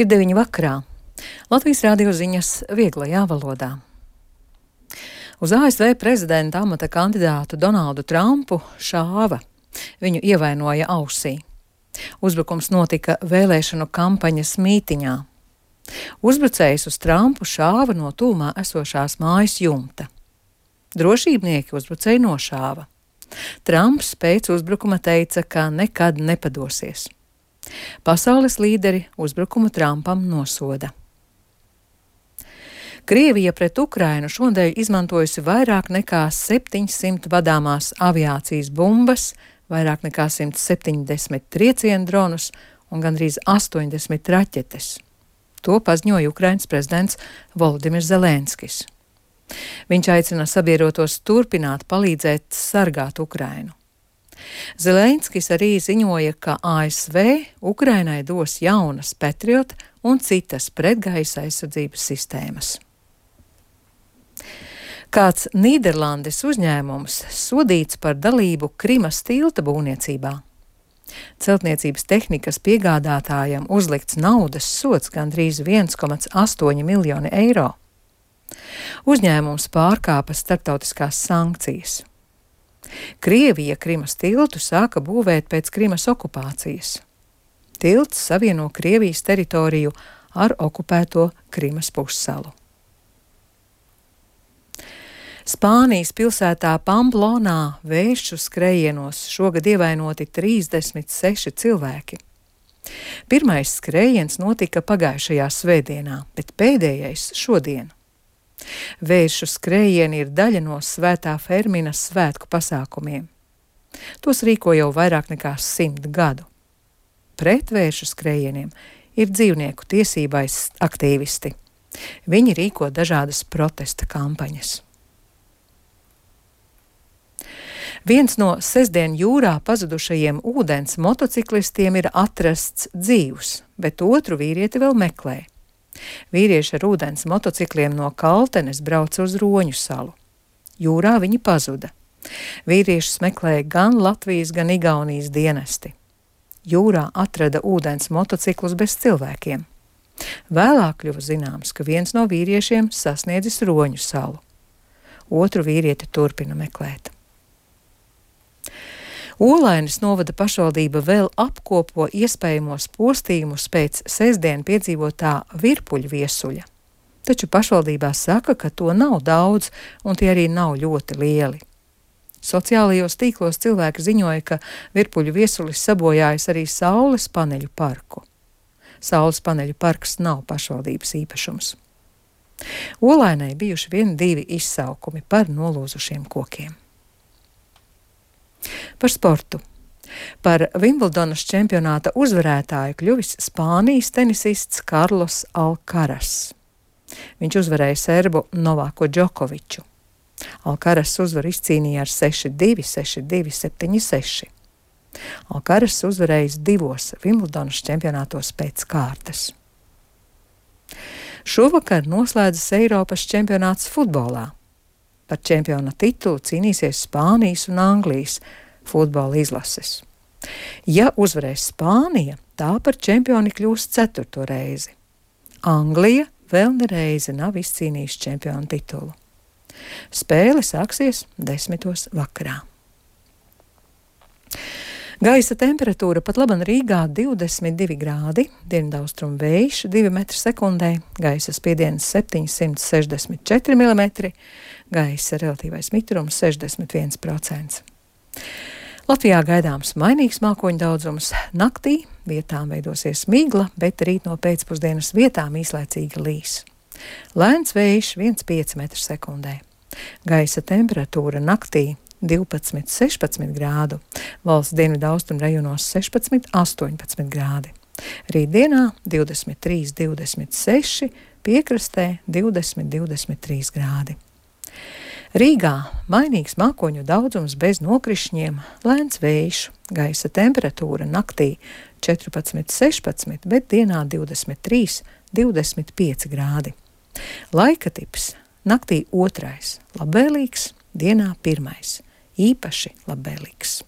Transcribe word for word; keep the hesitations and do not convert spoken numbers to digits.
Ir deviņi vakarā. Latvijas radio ziņas vieglajā valodā. Uz A S V prezidenta amata kandidātu Donaldu Trumpu šāva. Viņu ievainoja ausī. Uzbrukums notika vēlēšanu kampaņas mītiņā. Uzbrucējs uz Trumpu šāva no tūmā esošās mājas jumta. Drošībnieki uzbrucēju nošāva. Trumps pēc uzbrukuma teica, ka nekad nepadosies. Pasaules līderi uzbrukumu Trumpam nosoda. Krievija pret Ukrainu šodien izmantojusi vairāk nekā septiņsimt vadāmās aviācijas bumbas, vairāk nekā simt septiņdesmit triecienu dronus un gandrīz astoņdesmit raķetes. To paziņoja Ukrainas prezidents Volodimirs Zelenskis. Viņš aicina sabiedrotos turpināt palīdzēt sargāt Ukrainu. Zelenskis arī ziņoja, ka A S V Ukrainai dos jaunas Patriot un citas pretgaisa aizsardzības sistēmas. Kāds Nīderlandes uzņēmums sodīts par dalību Krimas tilta būvniecībā. Celtniecības tehnikas piegādātājam uzlikts naudas sods gandrīz viens komats astoņi miljoni eiro. Uzņēmums pārkāpa starptautiskās sankcijas. Krievija Krimas tiltu sāka būvēt pēc Krimas okupācijas. Tilts savieno Krievijas teritoriju ar okupēto Krimas pussalu. Spānijas pilsētā Pamplonā vēju skrējienos šogad ievainoti trīsdesmit seši cilvēki. Pirmais skrējiens notika pagājušajā svētdienā, bet pēdējais šodien. Vēju skrējieni ir daļa no Svētā Ferminas svētku pasākumiem. Tos rīko jau vairāk nekā simt gadu. Pret vēju skrējieniem ir dzīvnieku tiesībais aktīvisti. Viņi rīko dažādas protesta kampaņas. Viens no sestdien jūrā pazudušajiem ūdens motociklistiem ir atrasts dzīvs, bet otru vīrieti vēl meklē. Vīrieši ar ūdens motocikliem no Kaltenes brauca uz Roņu salu. Jūrā viņi pazuda. Vīriešus meklēja gan Latvijas, gan Igaunijas dienesti. Jūrā atrada ūdens motociklus bez cilvēkiem. Vēlāk kļuva zināms, ka viens no vīriešiem sasniedzis Roņu salu. Otru vīrieti turpina meklēt. Olainas novada pašvaldība vēl apkopo iespējamos postījumus pēc sestdien piedzīvotā virpuļu viesuļa. Taču pašvaldībā saka, ka to nav daudz un tie arī nav ļoti lieli. Sociālajos tīklos cilvēki ziņoja, ka virpuļu viesulis sabojājis arī Saules paneļu parku. Saules paneļu parks nav pašvaldības īpašums. Olainai bijuši vien divi izsaukumi par nolūzušiem kokiem. Par sportu. Par Vimbeldonas čempionāta uzvarētāju kļuvis Spānijas tenisists Karlos Alcaraz. Viņš uzvarēja serbu Novaku Džokoviču. Alcaraz uzvaru izcīnīja ar seši divi, seši divi, septiņi seši. Alcaraz uzvarējis divos Vimbeldonas čempionātos pēc kārtas. Šovakar noslēdzas Eiropas čempionāts futbolā. Par čempiona titulu cīnīsies Spānijas un Anglijas futbola izlases. Ja uzvarēs Spānija, tā par čempioni kļūs ceturto reizi. Anglija vēl nereizi nav izcīnījusi čempiona titulu. Spēle sāksies desmitos vakarā. Gaisa temperatūra pat laban Rīgā divdesmit divi grādi, dienvidaustrumu vējš divi metri sekundē, gaisa spiediens septiņsimt sešdesmit četri milimetri, gaisa relatīvais mitrums sešdesmit viens procents. Latvijā gaidāms mainīgs mākoņu daudzums. Naktī vietām veidosies migla, bet rīt no pēcpusdienas vietām īslaicīgi līs. Lēns vējš viens komats pieci metri sekundē. Gaisa temperatūra naktī divpadsmit sešpadsmit grādu, valsts dienvidu austrumu rajonos sešpadsmit astoņpadsmit grādi. Rītdienā divdesmit trīs divdesmit seši, piekrastē divdesmit divdesmit trīs grādi. Rīgā mainīgs mākoņu daudzums bez nokrišņiem, lēns vējš, gaisa temperatūra naktī četrpadsmit sešpadsmit, bet dienā divdesmit trīs divdesmit pieci grādi. Laika tips naktī otrais, labvēlīgs, dienā pirmais. Īpaši labvēlīgs.